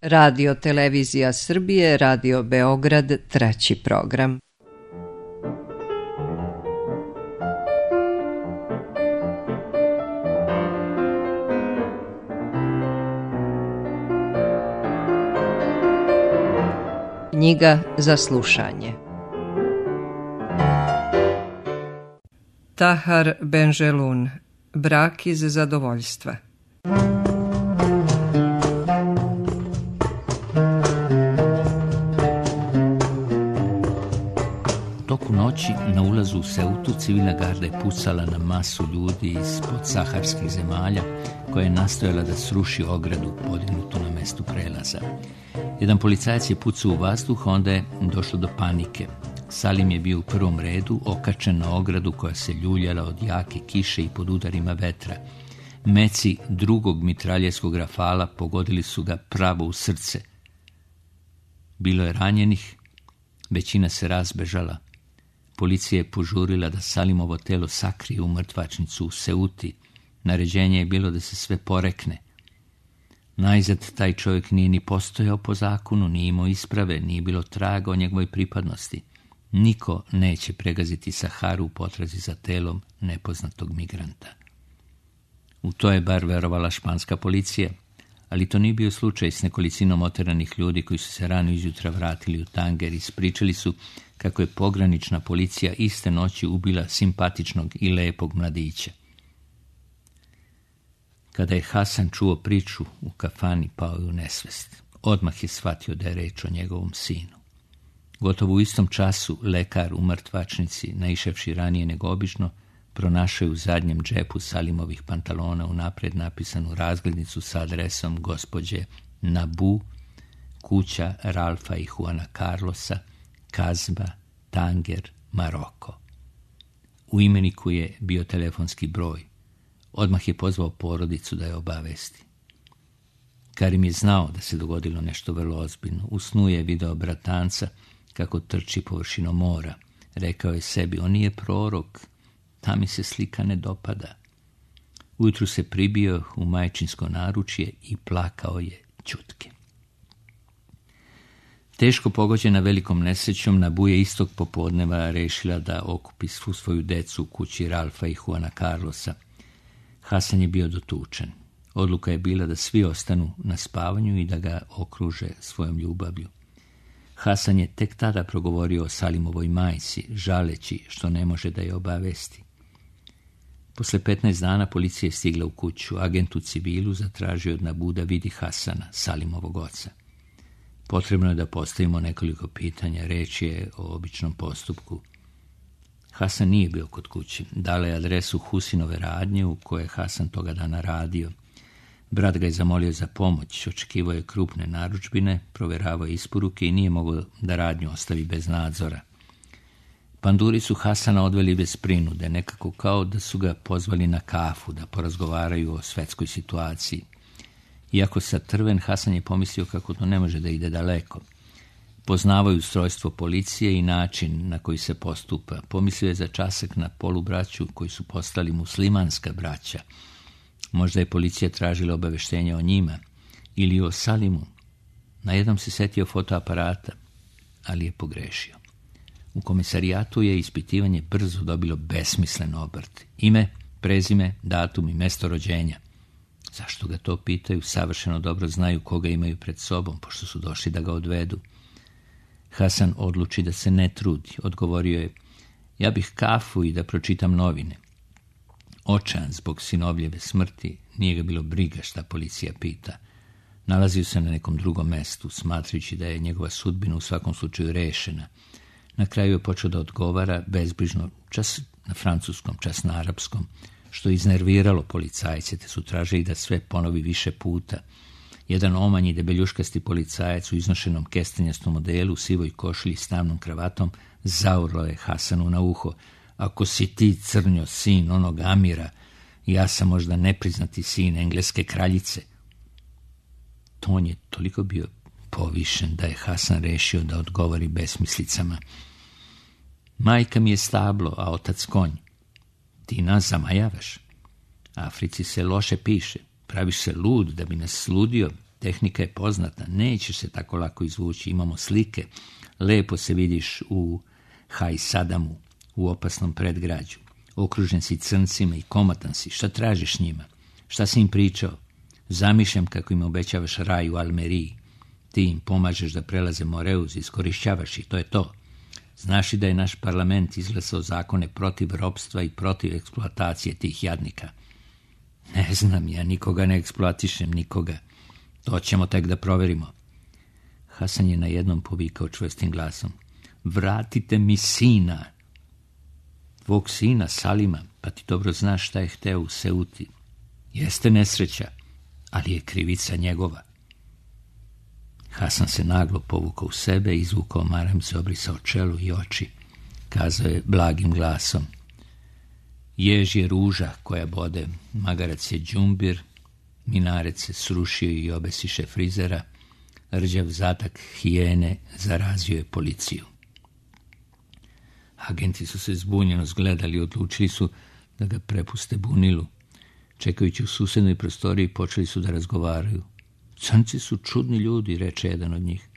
Radio Televizija Srbije, Radio Beograd, 3. program. Knjiga za slušanje. Tahar Benjelun, Brak iz zadovoljstva. Toku noći na ulazu u Seutu civilna garda je pucala na masu ljudi iz podsaharskih zemalja koja je nastojala da sruši ogradu podignutu na mestu prelaza. Jedan policajac je pucao u vazduh, onda je došlo do panike. Salim je bio u prvom redu, okačen na ogradu koja se ljuljala od jake kiše i pod udarima vetra. Meci drugog mitraljeskog rafala pogodili su ga pravo u srce. Bilo je ranjenih, većina se razbežala. Policija je požurila da Salimovo telo sakrije u mrtvačnicu u Seuti. Naređenje je bilo da se sve porekne. Najzad taj čovjek nije ni postojao po zakonu, nije imao isprave, nije bilo traga o njegovoj pripadnosti. Niko neće pregaziti Saharu u potrazi za telom nepoznatog migranta. U to je bar verovala španska policija, ali to nije bio slučaj s nekolicinom oteranih ljudi koji su se rano izjutra vratili u Tanger i ispričali su kako je pogranična policija iste noći ubila simpatičnog i lepog mladića. Kada je Hasan čuo priču u kafani, pao je u nesvest. Odmah je shvatio da je reč o njegovom sinu. Gotovo u istom času lekar u mrtvačnici, naišavši ranije nego obično, pronašao je u zadnjem džepu Salimovih pantalona unaprijed napisanu razglednicu sa adresom gospođe Nabu, kuća Ralfa i Juana Carlosa, Kazba, Tanger, Maroko. U imeniku je bio telefonski broj. Odmah je pozvao porodicu da je obavesti. Karim je znao da se dogodilo nešto vrlo ozbiljno. U snu je video bratanca kako trči površinom mora. Rekao je sebi, on nije prorok, ta mi se slika ne dopada. Ujutru se pribio u majčinsko naručje i plakao je ćutke. Teško pogođena velikom nesrećom, Nabu je istog popodneva rešila da okupi svu svoju decu u kući Ralfa i Juana Carlosa. Hasan je bio dotučen. Odluka je bila da svi ostanu na spavanju i da ga okruže svojom ljubavlju. Hasan je tek tada progovorio o Salimovoj majci, žaleći što ne može da je obavesti. Posle 15 dana policija je stigla u kuću. Agent u civilu zatražio od Nabu da vidi Hasana, Salimovog oca. Potrebno je da postavimo nekoliko pitanja, reč je o običnom postupku. Hasan nije bio kod kuće. Dala je adresu Husinove radnje u kojoj je Hasan toga dana radio. Brat ga je zamolio za pomoć, očekivao je krupne narudžbine, proveravao je isporuke i nije mogao da radnju ostavi bez nadzora. Panduri su Hasana odveli bez prinude, nekako kao da su ga pozvali na kafu, da porazgovaraju o svetskoj situaciji. Iako satrven, Hasan je pomislio kako to ne može da ide daleko. Poznavaju ustrojstvo policije i način na koji se postupa. Pomislio je za časak na polubraću koji su postali muslimanska braća. Možda je policija tražila obaveštenja o njima ili o Salimu. Na jednom se setio fotoaparata, ali je pogrešio. U komisarijatu je ispitivanje brzo dobilo besmislen obrt. Ime, prezime, datum i mesto rođenja. Zašto ga to pitaju? Savršeno dobro znaju koga imaju pred sobom, pošto su došli da ga odvedu. Hasan odluči da se ne trudi. Odgovorio je, ja bih kafu i da pročitam novine. Očajan zbog sinovljeve smrti, nije ga bilo briga šta policija pita. Nalazio se na nekom drugom mestu, smatrajući da je njegova sudbina u svakom slučaju rešena. Na kraju je počeo da odgovara bezbrižno, čas na francuskom, čas na arapskom, što je iznerviralo policajce, te su tražili da sve ponovi više puta. Jedan omanji debeljuškasti policajac u iznošenom kestenjastom modelu, u sivoj košulji s tamnom kravatom, zaurlo je Hasanu na uho. Ako si ti, crnjo, sin onog Amira, ja sam možda nepriznati sin engleske kraljice. Ton je toliko bio povišen da je Hasan rešio da odgovori besmislicama. Majka mi je stablo, a otac konj. Ti nas zamajavaš. Africi se loše piše. Praviš se lud da bi nas sludio. Tehnika je poznata, nećeš se tako lako izvući, imamo slike, lepo se vidiš u Hajsadamu, u opasnom predgrađu. Okružen si crncima i komatan si, šta tražiš njima? Šta si im pričao? Zamišljam kako im obećavaš raj u Almeriji. Ti im pomažeš da prelaze Moreuz, iskorišćavaš ih, to je to. Znaš li da je naš parlament izglasao zakone protiv ropstva i protiv eksploatacije tih jadnika? Ne znam, ja nikoga ne eksploatišem, nikoga. To ćemo tek da proverimo. Hasan je najednom povikao čvrstim glasom. Vratite mi sina. Tvog sina, Salima, pa ti dobro znaš šta je hteo u Seuti. Jeste nesreća, ali je krivica njegova. Hasan se naglo povukao u sebe, izvukao maramicu, obrisao čelo i oči. Kazao je blagim glasom. Jež je ruža koja bode, magarac je đumbir, minarec se srušio i obesiše frizera, rđav zatak hijene zarazio je policiju. Agenti su se zbunjeno zgledali i odlučili su da ga prepuste bunilu. Čekajući u susednoj prostoriji počeli su da razgovaraju. Crnci su čudni ljudi, reče jedan od njih.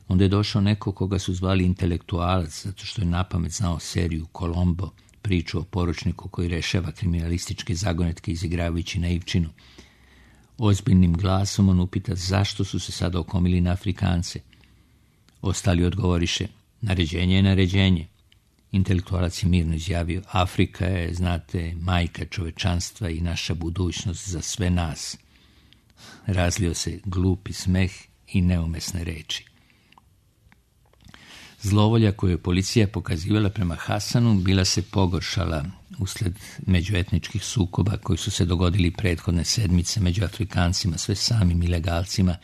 Onda je došao neko koga su zvali intelektualac, zato što je napamet znao seriju Kolombo, priču o poručniku koji rešava kriminalističke zagonetke izigravajući naivčinu. Ozbiljnim glasom on upita zašto su se sada okomili na Afrikance. Ostali odgovoriše, naređenje je naređenje. Intelektualac je mirno izjavio, Afrika je, znate, majka čovečanstva i naša budućnost za sve nas. Razlio se glupi smeh i neumesne reči. Zlovolja koju je policija pokazivala prema Hasanu bila se pogoršala usled međuetničkih sukoba koji su se dogodili prethodne sedmice među Afrikancima, sve samim ilegalcima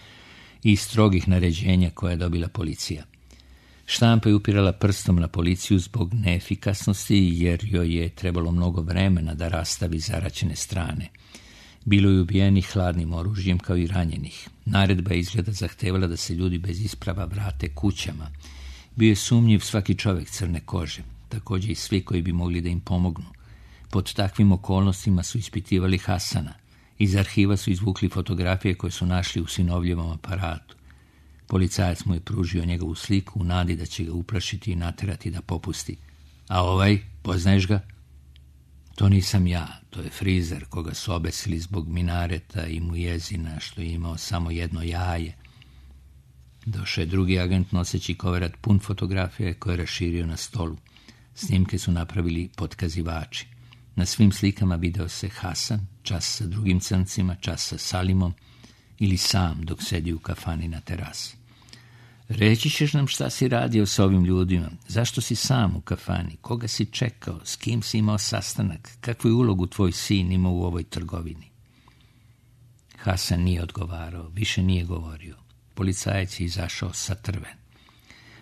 i strogih naređenja koje je dobila policija. Štampa je upirala prstom na policiju zbog neefikasnosti jer joj je trebalo mnogo vremena da rastavi zaraćene strane. Bilo je ubijenih hladnim oružjem kao i ranjenih. Naredba je izgleda zahtevala da se ljudi bez isprava vrate kućama. Bio je sumnjiv svaki čovjek crne kože, također i svi koji bi mogli da im pomognu. Pod takvim okolnostima su ispitivali Hasana. Iz arhiva su izvukli fotografije koje su našli u sinovljevom aparatu. Policajac mu je pružio njegovu sliku u nadi da će ga uplašiti i naterati da popusti. A ovaj, poznaješ ga? To nisam ja, to je frizer koga su obesili zbog minareta i mujezina što je imao samo jedno jaje. Došao je drugi agent noseći koverat pun fotografije koje je raširio na stolu. Snimke su napravili potkazivači. Na svim slikama video se Hasan, čas sa drugim crncima, čas sa Salimom ili sam dok sedi u kafani na terasi. Reći ćeš nam šta si radio s ovim ljudima, zašto si sam u kafani, koga si čekao, s kim si imao sastanak, kakvu je ulogu tvoj sin imao u ovoj trgovini. Hasan nije odgovarao, više nije govorio. Policajac je izašao satrven.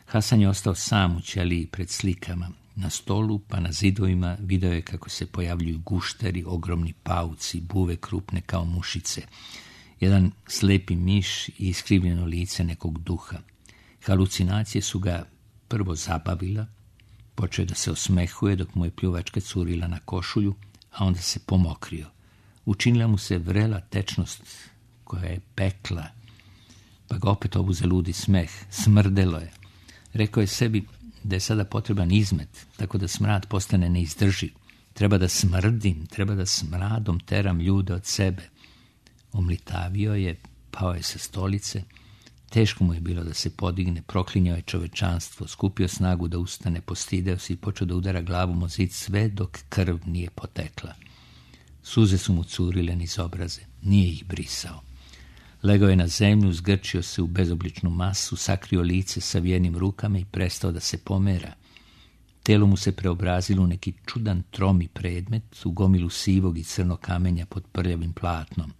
Hasan je ostao sam u ćeliji pred slikama. Na stolu pa na zidovima video je kako se pojavljuju gušteri, ogromni pauci, buve krupne kao mušice. Jedan slepi miš i iskrivljeno lice nekog duha. Halucinacije su ga prvo zabavila, počeo je da se osmehuje dok mu je pljuvačka curila na košulju, a onda se pomokrio. Učinila mu se vrela tečnost koja je pekla, pa ga opet obuze ludi smeh, smrdelo je. Rekao je sebi da je sada potreban izmet, tako da smrad postane neizdrživ. Treba da smrdim, treba da smradom teram ljude od sebe. Omlitavio je, pao je sa stolice, teško mu je bilo da se podigne, proklinjao je čovečanstvo, skupio snagu da ustane, postideo se i počeo da udara glavom o zid sve dok krv nije potekla. Suze su mu curile niz obraze, nije ih brisao. Legao je na zemlju, zgrčio se u bezobličnu masu, sakrio lice savijenim rukama i prestao da se pomera. Telo mu se preobrazilo u neki čudan tromi predmet, u gomilu sivog i crnog kamenja pod prljavim platnom.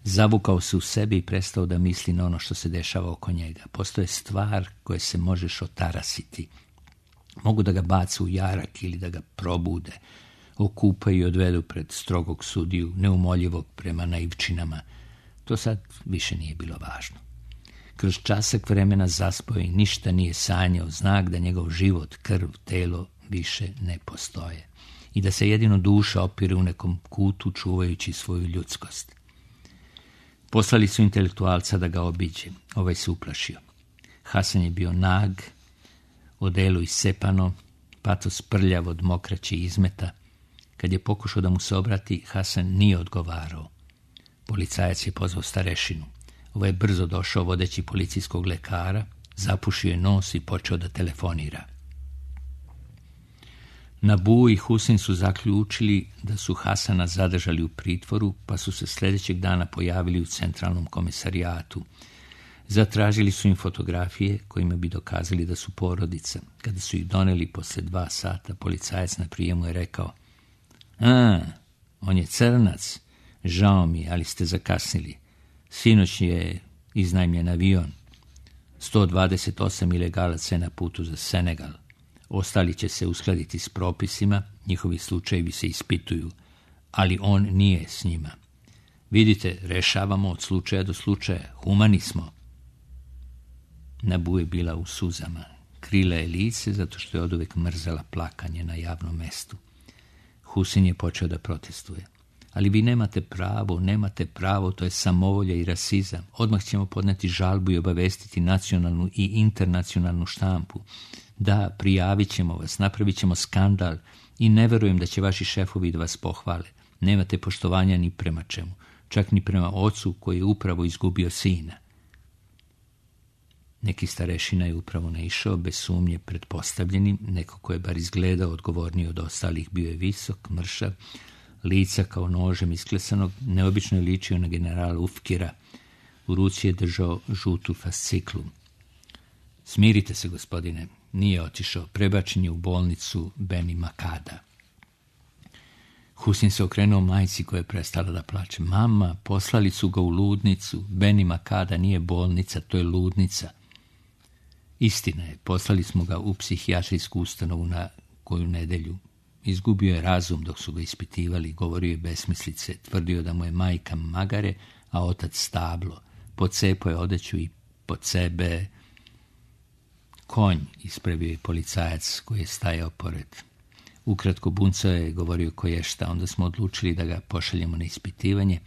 Zavukao se u sebe i prestao da misli na ono što se dešava oko njega. Postoje stvar koje se možeš otarasiti. Mogu da ga bace u jarak ili da ga probude, okupaju i odvedu pred strogog sudiju, neumoljivog prema naivčinama. To sad više nije bilo važno. Kroz časak vremena zaspao i ništa nije sanjao, znak da njegov život, krv, telo više ne postoje i da se jedino duša opire u nekom kutu čuvajući svoju ljudskost. Poslali su intelektualca da ga obiđe. Ovaj se uplašio. Hasan je bio nag, odelo iscepano, patos prljav od mokraće izmeta. Kad je pokušao da mu se obrati, Hasan nije odgovarao. Policajac je pozvao starešinu. Ovaj je brzo došao vodeći policijskog lekara, zapušio je nos i počeo da telefonira. Nabu i Husin su zaključili da su Hasana zadržali u pritvoru, pa su se sljedećeg dana pojavili u centralnom komisarijatu. Zatražili su im fotografije kojima bi dokazali da su porodica. Kada su ih doneli posle 2 sata, policajac na prijemu je rekao: on je crnac, žao mi, ali ste zakasnili. Sinoć je iznajmljen avion. 128 ilegalaca je na putu za Senegal. Ostali će se uskladiti s propisima, njihovi slučajevi se ispituju, ali on nije s njima. Vidite, rešavamo od slučaja do slučaja, humani smo. Nabu je bila u suzama. Krila je lice zato što je oduvek mrzela plakanje na javnom mestu. Husin je počeo da protestuje. Ali vi nemate pravo, to je samovolja i rasizam. Odmah ćemo podneti žalbu i obavestiti nacionalnu i internacionalnu štampu. Da, prijavit ćemo vas, napravit ćemo skandal i ne verujem da će vaši šefovi da vas pohvale. Nemate poštovanja ni prema čemu, čak ni prema ocu koji je upravo izgubio sina. Neki starešina je upravo naišao, bez sumnje pretpostavljenim, neko ko je bar izgledao odgovorniji od ostalih, bio je visok, mršav, lica kao nožem isklesanog, neobično je ličio na generala Ufkira. U ruci je držao žutu fasciklu. Smirite se, gospodine, nije otišao, prebačen je u bolnicu Beni Makada. Husin se okrenuo majci koja je prestala da plače. Mama, poslali su ga u ludnicu. Beni Makada nije bolnica, to je ludnica. Istina je, poslali smo ga u psihijatrijsku ustanovu na koju nedelju. Izgubio je razum dok su ga ispitivali, govorio je besmislice, tvrdio da mu je majka magare, a otac stablo. Pocepao je odeću i pod sebe konj, ispravio je policajac koji je stajao pored. Ukratko buncao je, govorio koješta, onda smo odlučili da ga pošaljemo na ispitivanje,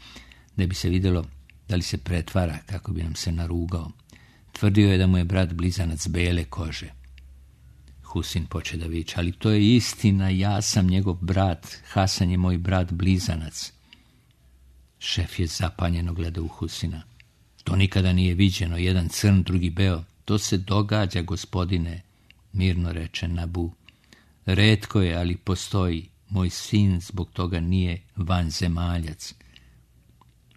da bi se vidjelo da li se pretvara kako bi nam se narugao. Tvrdio je da mu je brat blizanac bele kože. Husin poče da viče, ali to je istina, ja sam njegov brat, Hasan je moj brat blizanac. Šef je zapanjeno gledao u Husina. To nikada nije viđeno, jedan crn, drugi beo. To se događa, gospodine, mirno reče Nabu. Retko je, ali postoji. Moj sin zbog toga nije vanzemaljac.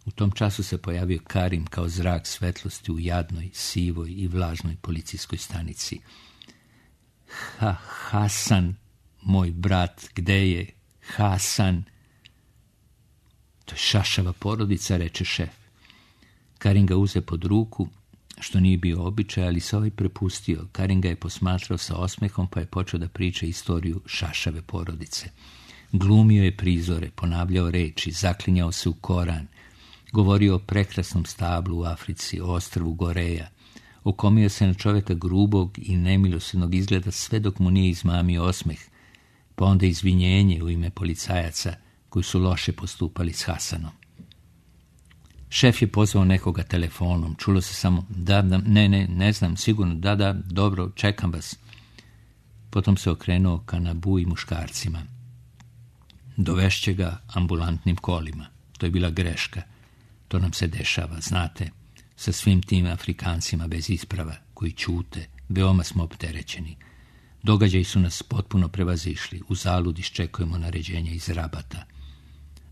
U tom času se pojavio Karim kao zrak svetlosti u jadnoj, sivoj i vlažnoj policijskoj stanici. Hasan, moj brat, gde je? Hasan. To je šašava porodica, reče šef. Karim ga uze pod ruku, što nije bio običaj, ali se ovaj prepustio. Karim ga je posmatrao sa osmehom, pa je počeo da priča istoriju šašave porodice. Glumio je prizore, ponavljao reči, zaklinjao se u Koran, govorio o prekrasnom stablu u Africi, o ostrvu Goreja, okomio se na čovjeka grubog i nemilosrdnog izgleda sve dok mu nije izmamio osmeh, pa onda izvinjenje u ime policajaca koji su loše postupali s Hasanom. Šef je pozvao nekoga telefonom, čulo se samo ne znam, sigurno, da, dobro, čekam vas. Potom se okrenuo ka Nabu i muškarcima. Dovešće ga ambulantnim kolima. To je bila greška. To nam se dešava, znate, sa svim tim Afrikancima bez isprava, koji ćute, veoma smo opterećeni. Događaji su nas potpuno prevazišli, u zalud iščekujemo naređenja iz Rabata.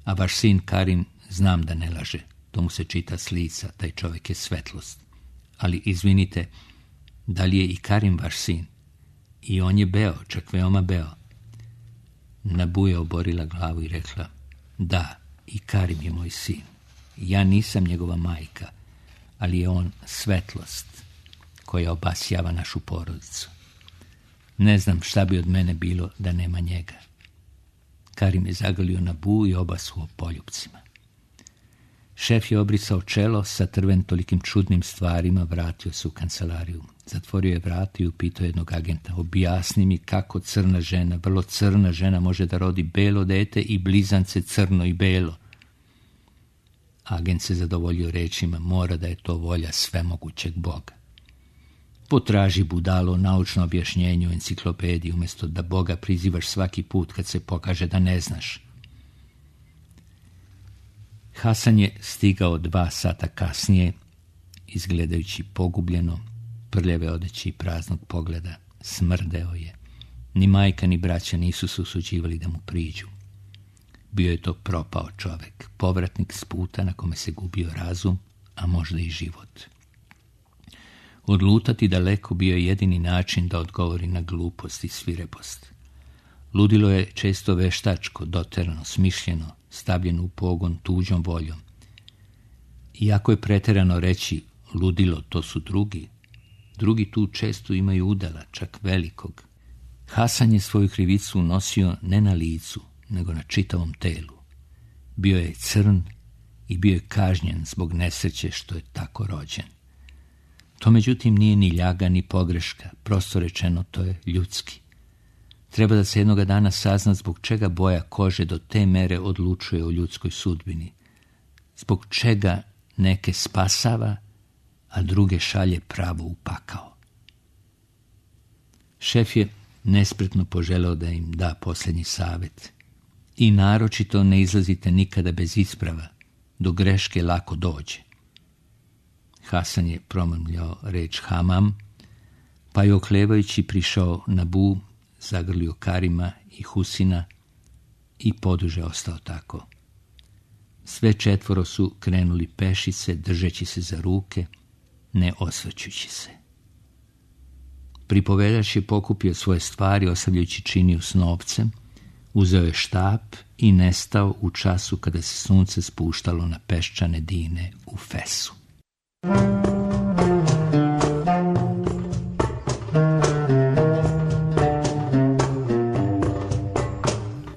A vaš sin Karim, znam da ne laže, to mu se čita s lica, taj čovjek je svetlost. Ali izvinite, da li je i Karim vaš sin? I on je beo, čak veoma beo. Nabu je oborila glavu i rekla, da, i Karim je moj sin. Ja nisam njegova majka, ali je on svetlost koja obasjava našu porodicu. Ne znam šta bi od mene bilo da nema njega. Karim je zagrlio Nabu i obasuo poljupcima. Šef je obrisao čelo, satrven tolikim čudnim stvarima, vratio se u kancelariju. Zatvorio je vrata i upitao jednog agenta, objasni mi kako crna žena, vrlo crna žena može da rodi belo dete i blizance crno i belo. Agent se zadovoljio rečima, mora da je to volja svemogućeg Boga. Potraži budalo naučno objašnjenje u enciklopediji umjesto da Boga prizivaš svaki put kad se pokaže da ne znaš. Hasan je stigao 2 sata kasnije, izgledajući pogubljeno, prljave odeće i praznog pogleda. Smrdeo je. Ni majka ni braća nisu se usuđivali da mu priđu. Bio je to propao čovek, povratnik s puta na kome se gubio razum, a možda i život. Odlutati daleko bio je jedini način da odgovori na glupost i svirepost. Ludilo je često veštačko, doterano, smišljeno, stavljeno u pogon tuđom voljom. Iako je preterano reći ludilo, to su drugi tu često imaju udela, čak velikog. Hasan je svoju krivicu nosio ne na licu, nego na čitavom telu. Bio je crn i bio je kažnjen zbog nesreće što je tako rođen. To međutim nije ni ljaga ni pogreška, prosto rečeno to je ljudski. Treba da se jednoga dana sazna zbog čega boja kože do te mere odlučuje o ljudskoj sudbini. Zbog čega neke spasava, a druge šalje pravo u pakao. Šef je nespretno poželeo da im da posljednji savjet. I naročito ne izlazite nikada bez isprava, do greške lako dođe. Hasan je promrmljao reč hamam, pa je oklevajući prišao na Bu, zagrlio Karima i Husina i poduže ostao tako. Sve 4 su krenuli pešice, držeći se za ruke, ne osvrćući se. Pripovedač je pokupio svoje stvari, ostavljajući činiju s novcem, uzeo je štap i nestao u času kada se sunce spuštalo na peščane dine u Fesu.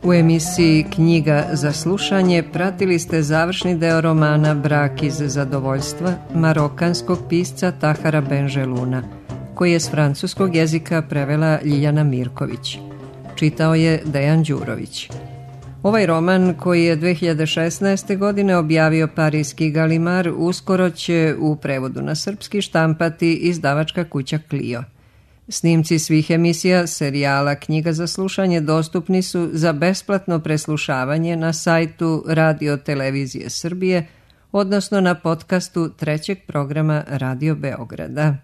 U emisiji Knjiga za slušanje pratili ste završni deo romana Brak iz zadovoljstva marokanskog pisca Tahara Benjeluna, koji je s francuskog jezika prevela Ljiljana Mirković. Čitao je Dejan Đurović. Ovaj roman, koji je 2016. godine objavio parijski Galimar, uskoro će u prevodu na srpski štampati izdavačka kuća Clio. Snimci svih emisija serijala Knjiga za slušanje dostupni su za besplatno preslušavanje na sajtu Radio Televizije Srbije, odnosno na podcastu 3. programa Radio Beograda.